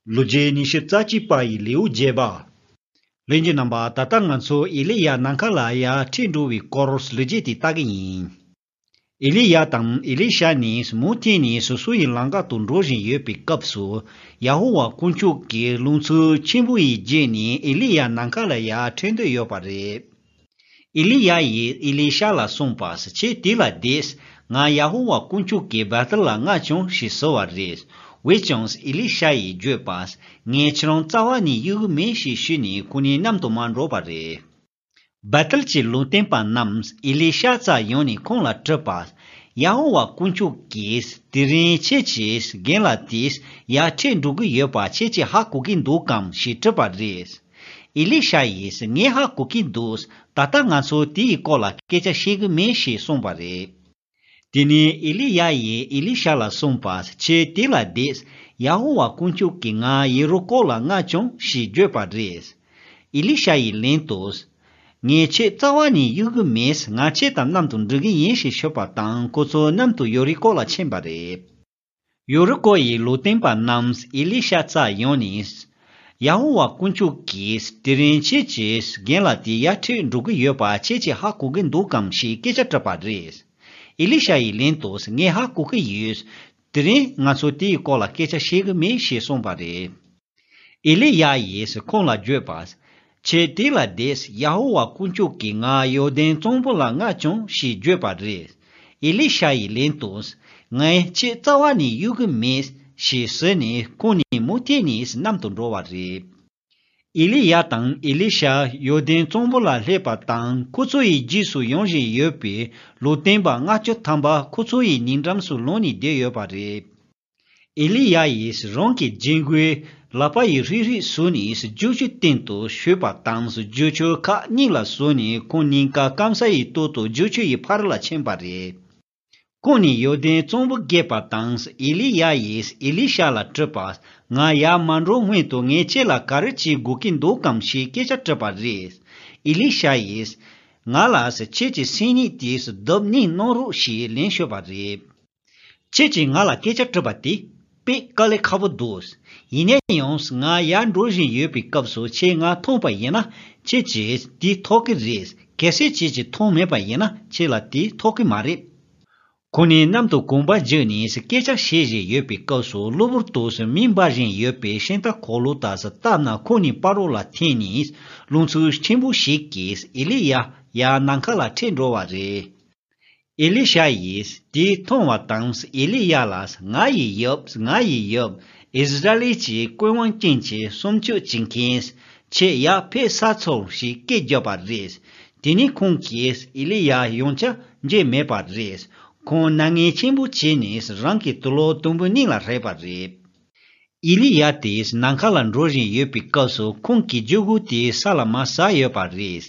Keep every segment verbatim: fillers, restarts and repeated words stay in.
ལོ་རྒྱུས་ཉི་ཤུ་རྩ་གཅིག་པ་ཡི་ལེའུ་བརྒྱད་པ། ལྷན་རྒྱས་རྣམ་པ། ད་ལྟ་ང་ཚོ་ཨེ་ལི་ཡ་ནམ་མཁའ་ལ་ཡར་ཁྲིད་འགྲོ་བའི་སྐོར་ལོ་རྒྱུས་དེ་ལྟ་གི་ཡིན། ཨེ་ལི་ཡ་དང་ཨེ་ལི་ཤ་ནི་མུ་མཐུད་ནས་སོ་སོ་ཡི་ལམ་ཁ་དུ་འགྲོ་བཞིན་ཡོད་པའི་སྐབས་སུ། ཡ་ཧོ་ཝཱ་དཀོན་མཆོག་གི་རླུང་འཚུབ་ཆེན་པོ་ཡི་རྗེས་ནས་ཨེ་ལི་ཡ་ནམ་མཁའ་ལ་ཡར་ཁྲིད་འདོད་ཡོད་པ་རེད། ཨེ་ལི་ཡ་ཡིས་ཨེ་ལི་ཤ་ལ་གསུངས་པ། ཁྱེད་དེ་ལ་བསྡད། ང་ཡ་ཧོ་ཝཱ་དཀོན་མཆོག་གི་བེ་ཐེལ་ལ་མངགས་བྱུང་ཞེས་ཟེར་བ་རེད། འོན་ཀྱང་ཨེ་ལི་ཤ་ཡིས་བརྗོད་པ། ངས་ཁྱེད་རང་རྩ་བ་ནས་གཡུག་གི་མིན་ཞེས་ཞུས་ནས་ཁོ་གཉིས་མཉམ་དུ་མར་འགྲོ་བ་རེད། བེ་ཐེལ་གྱི་ལུང་སྟོན་པ་རྣམས་ཨེ་ལི་ཤ་རྩར་ཡོང་ནས་ཁོང་ལ་དྲིས་པ། ཡ་ཧོ་ཝཱ་དཀོན་མཆོག་གིས་དེ་རིང་ཁྱེད་ཀྱི་རྒན་ལགས་དེ་ཡར་ཁྲིད་འགྲོ་གི་ཡོད་པ་ཁྱེད་ཀྱིས་ཧ་གོ་གི་འདུག་གམ་ཞེས་དྲིས་པ་རེད། ཨེ་ལི་ཤ་ཡིས་ངས་ཧ་གོ་གི་འདུག་ད་ལྟ་ང་ཚོ་དེའི་སྐོར་ལ་སྐད་ཆ་བཤད་གི་མིན་ཞེས་གསུངས་པ་རེད། དེ་ནས་ཨེ་ལི་ཡ་ཡིས་ཨེ་ལི་ཤ་ལ་གསུངས་པ། ཁྱེད་དེ་ལ་བསྡད། ཡ་ཧོ་ཝཱ་དཀོན་མཆོག་གིས་ང་ཡེ་རི་ཀོ་ལ་མངགས་བྱུང་ཞེས་བརྗོད་པ་རེད། ཨེ་ལི་ཤ་ཡིས་ལན་དུ། ངས་ཁྱེད་རྩ་བ་ནས་གཡུག་གི་མེད། ང་ཁྱེད་དང་མཉམ་དུ་འགྲོ་གི་ཡིན་ཞེས་ཤོད་པ་དང་ཁོ་ཚོ་མཉམ་དུ་ཡེ་རི་ཀོ་ལ་ཕྱིན་པ་རེད། ཡེ་རི་ཀོ་ཡི་ལུང་སྟོན་པ་རྣམས་ཨེ་ལི་ཤ་རྩར་ཡོང་ནས། ཡ་ཧོ་ཝཱ་དཀོན་མཆོག་གིས་དེ་རིང་ཁྱེད་ཀྱི་རྒན་ལགས་དེ་ཡར་ཁྲིད་འགྲོ་གི་ཡོད་པ་ཁྱེད་ཀྱིས་ཧ་གོ་གི་འདུག་གམ་ཞེས་སྐད་ཆ་དྲིས་པ་རེད། ཨེ་ལི་ཤ་ཡིས་ལན་དུ། ངས་ཧ་གོ་གི་ཡོད། དེ་རིང་ང་ཚོ་དེའི་སྐོར་ལ་སྐད་ཆ་བཤད་གི་མེད་ཞེས་གསུངས་པ་རེད། ཨེ་ལི་ཡ་ཡིས་ཁོང་ལ་བརྗོད་པ། ཁྱེད་དེ་ལ་བསྡད། ཡ་ཧོ་ཝཱ་དཀོན་མཆོག་གིས་ང་ཡོར་དན་གཙང་པོ་ལ་མངགས་བྱུང་ཞེས་བརྗོད་པ་རེད། ཨེ་ལི་ཤ་ཡིས་ལན་དུ། ངས་ཁྱེད་རྩ་བ་ནས་གཡུག་གི་མེད་ཞེས་ཟེར་ནས་ཁོང་གཉིས་མུ་མཐུད་ནས་མཉམ་དུ་འགྲོ་བ་རེད། ཨེ་ལི་ཡ་དང་ཨེ་ལི་ཤ་ཡོར་དན་གཙང་པོ་ལ་སླེབས་པ་དང་ཁོ་ཚོ་ཡི་རྗེས་སུ་ཡོང་བཞིན་ཡོད་པའི་ལུང་སྟོན་པ་ལྔ་བཅུ་ཐམ་པ་ཁོ་ཚོ་ཡི་ཉེ་འགྲམ་དུ་ལངས་ནས་བསྡད་ཡོད་པ་རེད། ཨེ་ལི་ཡ་ཡིས་རང་གི་རྒྱན་གོས་ལག་པ་ཡི་རིག་རིག་བཟོས་ནས་རྒྱུག་ཆུའི་སྟེང་དུ་ཞོན་པ་དང་རྒྱུག་ཆུ་ཁག་གཉིས་ལ་བཟུང་ནས་ཁོང་གཉིས་ཀ་སྐམ་ས་ཡི་ཐོག་ཏུ་རྒྱུག་ཆུ་ཡི་ཕར་ལ་ཕྱིན་པ་རེད། ཁོང་གཉིས་ཡོར་དན་གཙང་པོ་བརྒལ་བ་དང་ཨེ་ལི་ཡ་ཡིས་ཨེ་ལི་ཤ་ལ་དྲིས་པ། ང་ཡར་མ་འགྲོ་སྔོན་དུ་ངས་ཁྱེད་ལ་ག་རེ་བྱེད་དགོས་ཀྱི་འདུག་གམ་ཞེས་སྐད་ཆ་དྲིས་པ་རེད། ཨེ་ལི་ཤ་ཡིས། ང་ལ་ཁྱེད་ཀྱི་སེམས་ཉིད་དེ་བརྡབ་གཉིས་གནང་རོགས་ཞེས་ལན་ཤོད་པ་རེད། ཁྱེད་ཀྱིས་ང་ལ་སྐད་ཆ་དྲིས་པ་དེ་དཔེ་དཀའ་ལས་ཁག་པོ་འདུག་ཡིན་ན་ཡང་ང་ཡར་འགྲོ་བཞིན་ཡོད་པའི་སྐབས་སུ་ཁྱེད་ང་མཐོང་པ་ཡིན་ན་ཁྱེད་ཀྱིས་དེ་ཐོབ་ཀྱི་རེད། གལ་སྲིད་ཁྱེད་ཀྱིས་མཐོང་མེད་པ་ཡིན་ན་ཁྱེད་ལ་དེ་ཐོབ་ཀྱི་མ་རེད། ཁོང་གཉིས་མཉམ་དུ་གོམ་པ་བརྒྱབ་ནས་སྐད་ཆ་བཤད་བཞིན་ཡོད་པའི་སྐབས་སུ་གློ་བུར་དུ་མེ་འབར་བཞིན་ཡོད་པའི་ཤིང་རྟ་འཁོར་ལོ་དག་བཏབ་ན་ཁོང་གཉིས་བར་རོ་ལ་འཐེན་ནས་རླུང་འཚུབ་ཆེན་པོ་ཞིག་གིས་ཨེ་ལི་ཡ་ཡར་ནམ་མཁའ་ལ་ཁྲིད་འགྲོ་བ་རེད། ཨེ་ལི་ཤ་ཡིས་དེ་མཐོང་བ་དང་ཨེ་ལི་ཡ་ལ། ང་ཡི་ཡབ། ང་ཡི་ཡབ། ཨིསི་ར་ཨེལ་གྱི་ཀུན་དབང་ཅན་གྱི་སྲུང་སྐྱོབ་བྱེད་མཁན། ཁྱེད་ཡར་ཕེབས་ཚར་སོང་ཞེས་སྐད་བརྒྱབ་པ་རེད། དེ་ནས་ཁོང་གིས་ཨེ་ལི་ཡ་ཡང་བསྐྱར་མཇལ་མེད་པ་རེད། ཁོང་སྣང་ངན་ཆེན་པོ་བྱས་ནས་རང་གི་དུག་ལོག་དུམ་བུ་གཉིས་ལ་རེག་པ་རེད། ཨེ་ལི་ཡ་དེས་ནམ་མཁའ་ལ་འགྲོ་བཞིན་ཡོད་པའི་སྐབས་སུ་ཁོང་གི་རྒྱུ་སྒོ་དེ་ས་ལ་མར་ཟག་ཡོད་པ་རེད།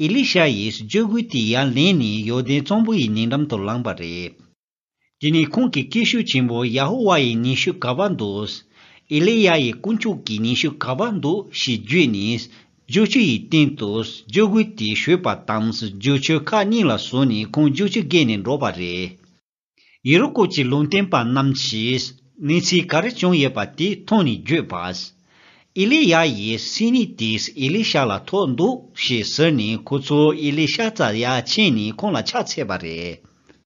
ཨེ་ལི་ཤ་ཡིས་རྒྱུ་སྒོ་དེ་ཡར་ལེན་ནས་ཡོར་དན་གཙང་པོ་ཡི་ཉེ་འགྲམ་དུ་ལངས་པ་རེད། དེ་ནས་ཁོང་གིས་སྐད་ཤུགས་ཆེན་པོས། ཡ་ཧོ་ཝཱ་ཡི་མྱིང་ཤོད་ག་པར་འདུག་ཨེ་ལི་ཡ་ཡི་དཀོན་མཆོག་གི་མྱིང་ཤོད་ག་པར་འདུག་ཞེས་བརྗོད་ནས། རྒྱུག་ཆུ་ཡི་སྟེང་དུ་རྒྱུ་སྒོ་དེ་ཞོན་པ་དང་རྒྱུག་ཆུ་ཁག་གཉིས་ལ་བཟུང་ནས་ཁོང་རྒྱུག་ཆུ་བརྒལ་ནས་འགྲོ་བ་རེད། ཡེ་རི་ཀོ་གྱི་ལུང་སྟོན་པ་རྣམས་ཀྱིས་གནས་ཚུལ་ག་རེ་བྱུང་ཡོད་པ་དེ་མཐོང་ནས་བརྗོད་པ། ཨེ་ལི་ཡ་ཡི་སེམས་ཉིད་དེ་ཨེ་ལི་ཤ་ལ་ཐོབ་འདུག་ཞེས་ཟེར་ནས་ཁོ་ཚོ་ཨེ་ལི་ཤ་རྩར་ཡར་ཕྱིན་ནས་ཁོང་ལ་ཕྱག་འཚལ་བ་རེད།